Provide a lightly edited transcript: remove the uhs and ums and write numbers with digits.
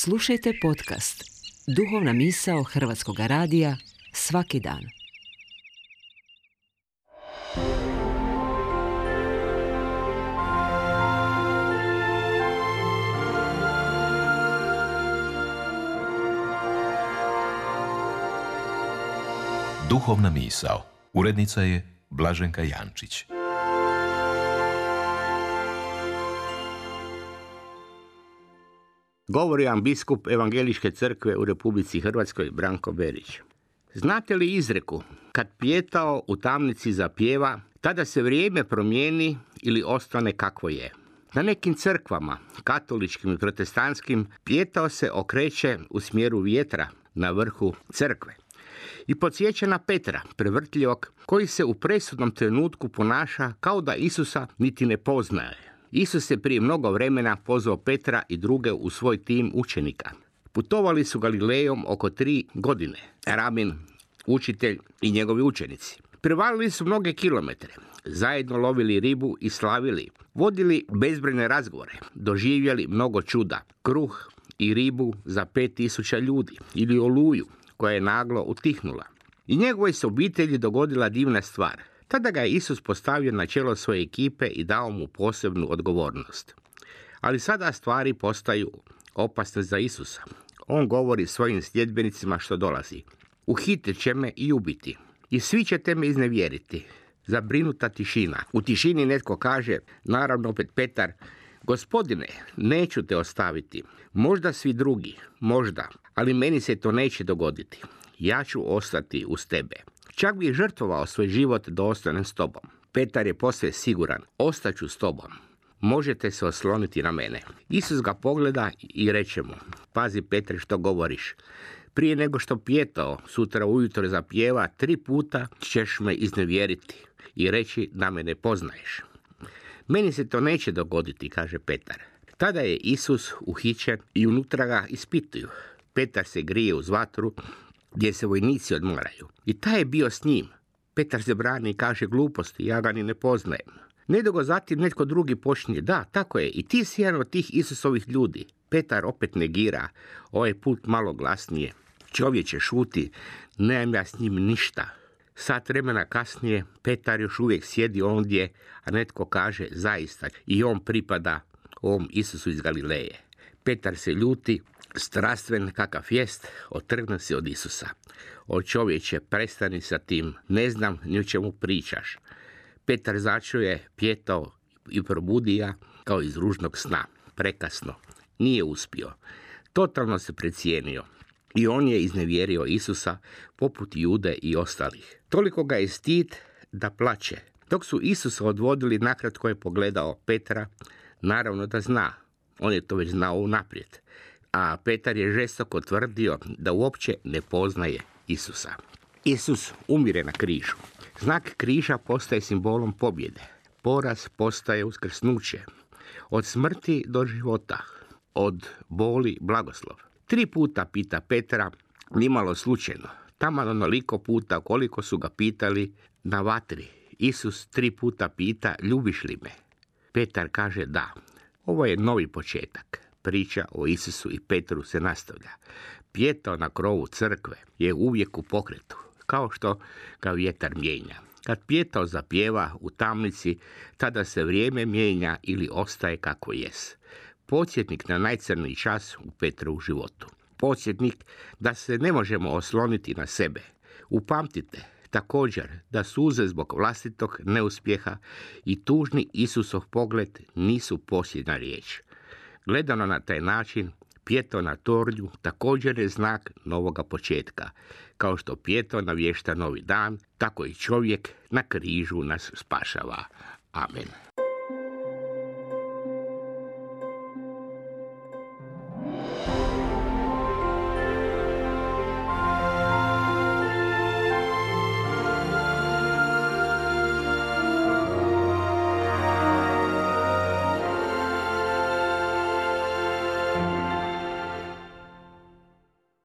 Slušajte podcast Duhovna misao Hrvatskog radija svaki dan. Duhovna misao. Urednica je Blaženka Jančić. Govori vam biskup Evangeličke crkve u Republici Hrvatskoj Branko Berić. Znate li izreku, kad pijetao u tamnici zapjeva, tada se vrijeme promijeni ili ostane kakvo je? Na nekim crkvama, katoličkim i protestantskim, pijetao se okreće u smjeru vjetra na vrhu crkve i podsjeća na Petra, prevrtljivog, koji se u presudnom trenutku ponaša kao da Isusa niti ne poznaje. Isus je prije mnogo vremena pozvao Petra i druge u svoj tim učenika. Putovali su Galilejom oko 3 godine, rabin, učitelj i njegovi učenici. Prevalili su mnoge kilometre, zajedno lovili ribu i slavili, vodili bezbrojne razgovore, doživjeli mnogo čuda, kruh i ribu za 5000 ljudi ili oluju koja je naglo utihnula. I njegovoj se obitelji dogodila divna stvar. Tada ga je Isus postavio na čelo svoje ekipe i dao mu posebnu odgovornost. Ali sada stvari postaju opasne za Isusa. On govori svojim sljedbenicima što dolazi. Uhitit će me i ubiti. I svi ćete me iznevjeriti. Zabrinuta tišina. U tišini netko kaže, naravno opet Petar, Gospodine, neću te ostaviti. Možda svi drugi, možda, ali meni se to neće dogoditi. Ja ću ostati uz tebe. Čak bi žrtvovao svoj život da ostanem s tobom. Petar je posve siguran, ostaću s tobom. Možete se osloniti na mene. Isus ga pogleda i reče mu, pazi Petre što govoriš. Prije nego što pijetao, sutra ujutro zapjeva, 3 puta ćeš me iznevjeriti i reći da me ne poznaješ. Meni se to neće dogoditi, kaže Petar. Tada je Isus uhićen i unutra ga ispituju. Petar se grije uz vatru gdje se vojnici odmoraju. I taj je bio s njim. Petar se brani i kaže gluposti, ja ga ni ne poznajem. Nedugo zatim netko drugi počinje, da, tako je, i ti si jedan od tih Isusovih ljudi. Petar opet negira, ovaj put malo glasnije. Čovječe, šuti, nemam ja s njim ništa. Sat vremena kasnije, Petar još uvijek sjedi ondje, a netko kaže, zaista, i on pripada ovom Isusu iz Galileje. Petar se ljuti, strastven kakav jest, otrgne se od Isusa. O čovječe, prestani sa tim, ne znam ni o čemu pričaš. Petar začuje, pijetao i probudi ga kao iz ružnog sna. Prekasno, nije uspio. Totalno se precijenio. I on je iznevjerio Isusa poput Jude i ostalih. Toliko ga je stid da plače. Dok su Isusa odvodili, nakratko je pogledao Petra, naravno da zna. On je to već znao unaprijed. A Petar je žestoko tvrdio da uopće ne poznaje Isusa. Isus umire na križu. Znak križa postaje simbolom pobjede. Poraz postaje uskrsnuće. Od smrti do života. Od boli blagoslov. 3 puta pita Petra, nimalo slučajno. Taman onoliko puta koliko su ga pitali na vatri. Isus 3 puta pita, ljubiš li me? Petar kaže da. Ovo je novi početak. Priča o Isusu i Petru se nastavlja. Pijetao na krovu crkve je uvijek u pokretu, kao što ga vjetar mijenja. Kad pijetao zapjeva u tamnici, tada se vrijeme mijenja ili ostaje kako jest. Podsjetnik na najcrniji čas u Petrovu životu. Podsjetnik da se ne možemo osloniti na sebe. Upamtite također da suze zbog vlastitog neuspjeha i tužni Isusov pogled nisu posljednja riječ. Gledano na taj način, pijetao na tornju također je znak novoga početka. Kao što pijetao navješta novi dan, tako i čovjek na križu nas spašava. Amen.